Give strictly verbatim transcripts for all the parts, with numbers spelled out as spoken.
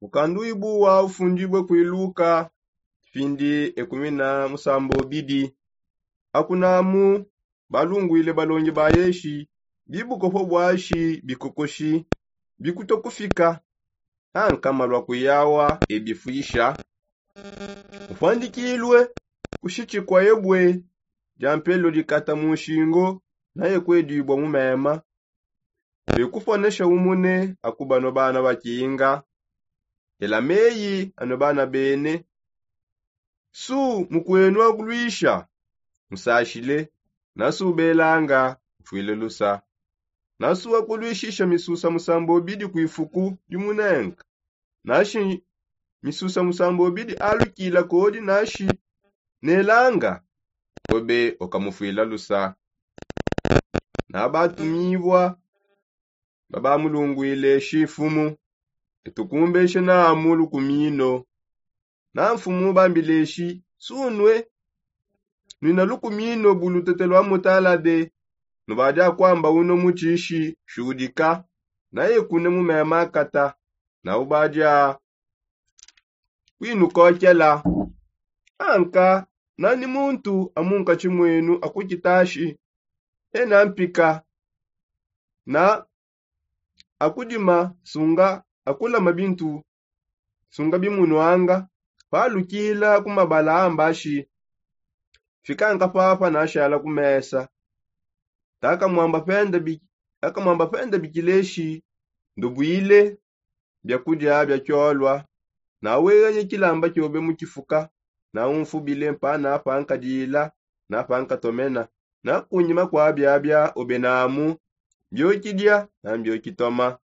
Mukandu ibu wa ufundibue kuiluka findi ekumi na musambo bidi. Akunamu balungwile balongi ba yeshi bibukopo bwashi bikokoshi bikuto kufika. Ankama lwa kuyawa ebifwisha ufwandikilwe kushitshikwa ebwe dia mpelo dikata mu nshingo naye kwedibwa mu mema. Bekufwanesha umune akubano bana bakinga ela meyi ano bana bene. Su mukwenu akulwisha musashile. Nasu ubelanga ufwile lusa. Nasu akulwishisha misusa musambo bidi kwifuku dimunenga nashi misusa musambo bidi alukila kodi nashi nelanga kobe okamufwila lusa. Nabatumibua babamulungwile shi mfumu etukumbeshe namu lukumino. Na mfumu bambile shi sunwe nwina lukumino bu lutete lwa mutalade nubadi akwamba uno mutshishi shudika naye kune mu mema akata na ubadi a kwinukokela. Anka nani muntu amunkatshi mwenu akukitashi ena mpika na akudima sunga akulama bintu sunga bimunwanga. Palukila ku mabala ambashi fikanka papa nashala ku mesa. Takamwamba penda bikileshi ndubwile biakudia bia kiolwa. Naweganye kilamba kiobe mu kifuka naumfubile mpana pankadila na pankatomena. Na kunyima kua biabia obe namu mbiokidia na mbiokitoma.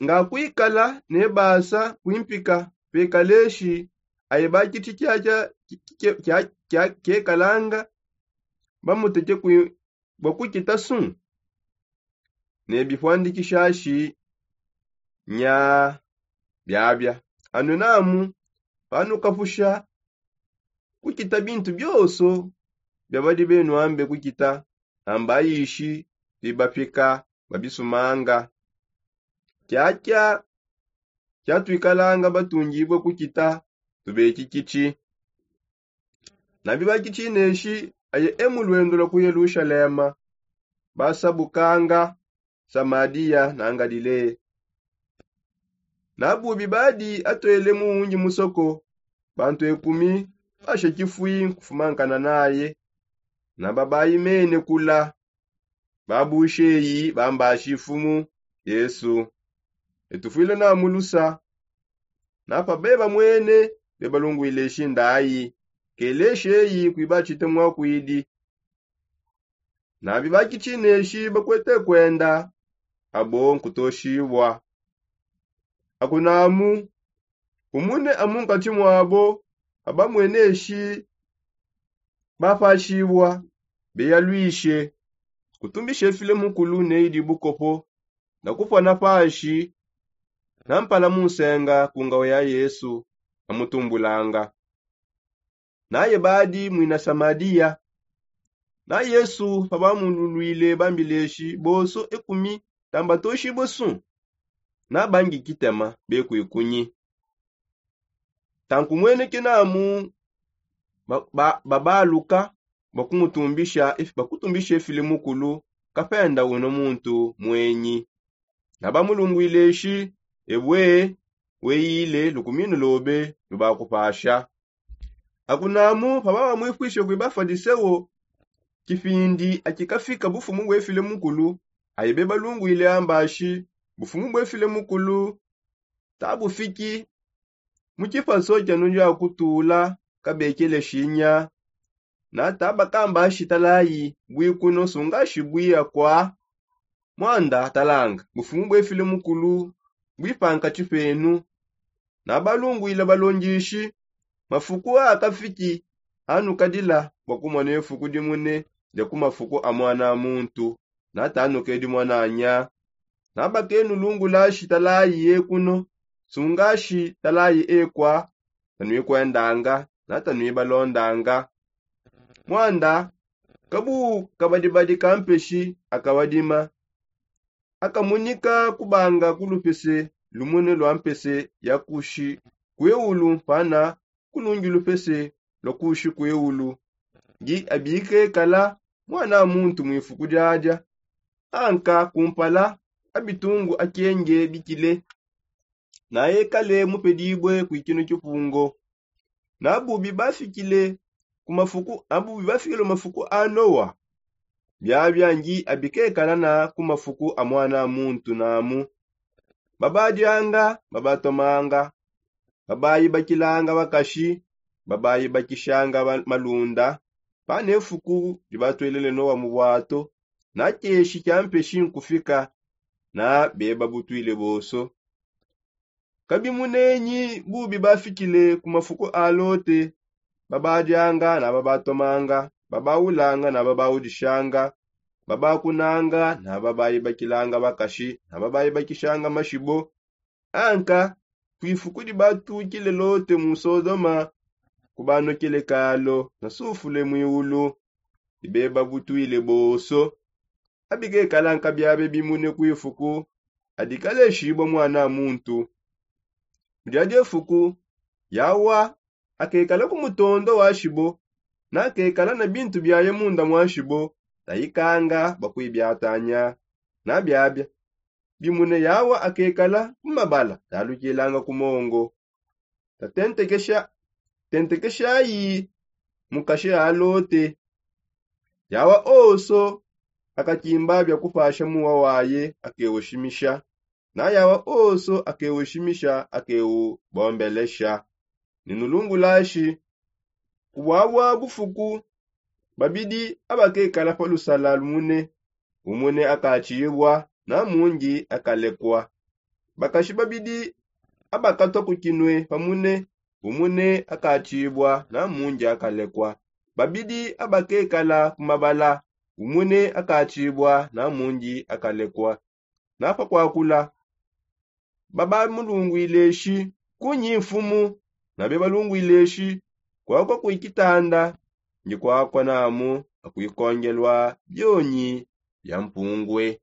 Ngakwikala nebasa kwimpika pekaleshi aye bakitshi kiakia kiekalanga bamutete bua kukita su. Ne bipwandikishashi nya biabia anue namu panukapusha kukita bintu bionso biabadi benuambe kukita. Ambayishi bibapika babisumanga kiakia kiatuikalanga batungibue kukita tubekikitshi. Nabi bakitshineshi aye e mu luendo lua ku yelushalema basabukanga samadia na ngalilea. Nabubi badi atuele muungi musoko bantu ekumi basha kifui nkufumankana naye. Naba bayimene kula babusheyi bambashi mfumu yesu etufwile na mulusa. Napa beba mwene bebalungwile shindayi keleshi eyi kuibatshite mwakwidi. Nabi bakitshineshi bakwete kwenda abo nkutoshibua. Akunamu umune amunkatshi muabo abamweneshi bapashibua beyaluishe kutumbisha efile mukulu neyi dibukopo na kupua na pashi na mpala mu nsenga ku ngawa ya yesu amutumbulanga. Naye badi muina samaria. Na yesu pabamululuile bambileshi bonso ekumi tambatoshibue su nabangi kitema bekuikunyi. Tankumweneke namu babaluka bakutumbisha efile mukulu kapenda uno muntu mwenyi. Nabamulungwile shi ebue weyile lukuminu lobe lubakupasha. Akunamu pababamwipwishe kui bafadiseo kipindi akikafika bufumu bwefile mukulu aye bebalungwile ambashi bufumu bwefile mukulu tabufiki mu kipaso kia nudi akutula kabekele shinya. Nata bakamba shitalayi bwikuno sunga shibwi akwa mwanda talanga bufumu bwefile mukulu bwipanka tshipenu. Nabalungwila balongishi mafuku akafiki anukadila bua kumona efuku dimune dia ku mafuku a muana muntu. Nata anukedi muananya nabakenulungulashi talayi ekuno sungashi talayi ekwa tanuikwendanga na tanuibalondanga. Mwanda kabu kabadibadi ka mpeshi akabadima akamunika kubanga ku lupese lumune lua mpese ya kushi kueulu mpana kulungi lupese lua kushi kueulu. Ndi abikekala mwana muntu muifuku diadia anka kumpala abitungu akenge bikile. Naye kale mupedibue kuikina kipungo. Nabubi bafikile ku mafuku abubi bafikile mu mafuku a nowa. Biabia ndi abikekala na ku mafuku a mwana muntu namu. Babadianga babatomanga. Babayibakilanga bakashi. Babayibakishanga malunda. Pane fuku dibatwelele nowa mu bwato na keshi kia mpeshi nkufika. Na beba butwile boso. Kabimunenyi bubi bafikile ku mafuku a lote. Babadianga na babatomanga. Babawulanga na babawudishanga. Babakunanga na babayibakilanga bakashi na babayibakishanga mashibo. Anka kuifuku dibatukile lote mu sodoma. Kubanokele kalo na sufule mwiulu. Dibeba butwile boso. Abikekala nkabiabe bimune kuifuku adikaleshibua mwana muntu. Mu diadi efuku yawa akekala ku mutondo wa shibo. Nakekala na bintu biaye munda mwa shibo. Tayikanga bakuibiatanya. Nabiabia bimune yawa akekala ku mabala talukilanga ku mongo. Tatentekesha tentekeshayi mukashi a lote. Yawa oso akakimba bia kupasha muwa waye akewushimisha. Na yawa oso akewushimisha akewubombelesha. Ni nulungulashi ku bwabwa bufuku babidi abakekala pa lusala lumune. Umune akatshibua na mundi akalekua. Bakashi babidi abakatua ku kinue pamune. Umune akatshibua na mundi akalekua. Babidi abakekala ku mabala. Umune akatshibua na mundi akalekua. Na pa kuakula babamulungwile shi kunyi mfumu? Na bebalungwile shi kuakua kuikitanda ndi kuakua namu akuikongelua bionyi bia mpungwe.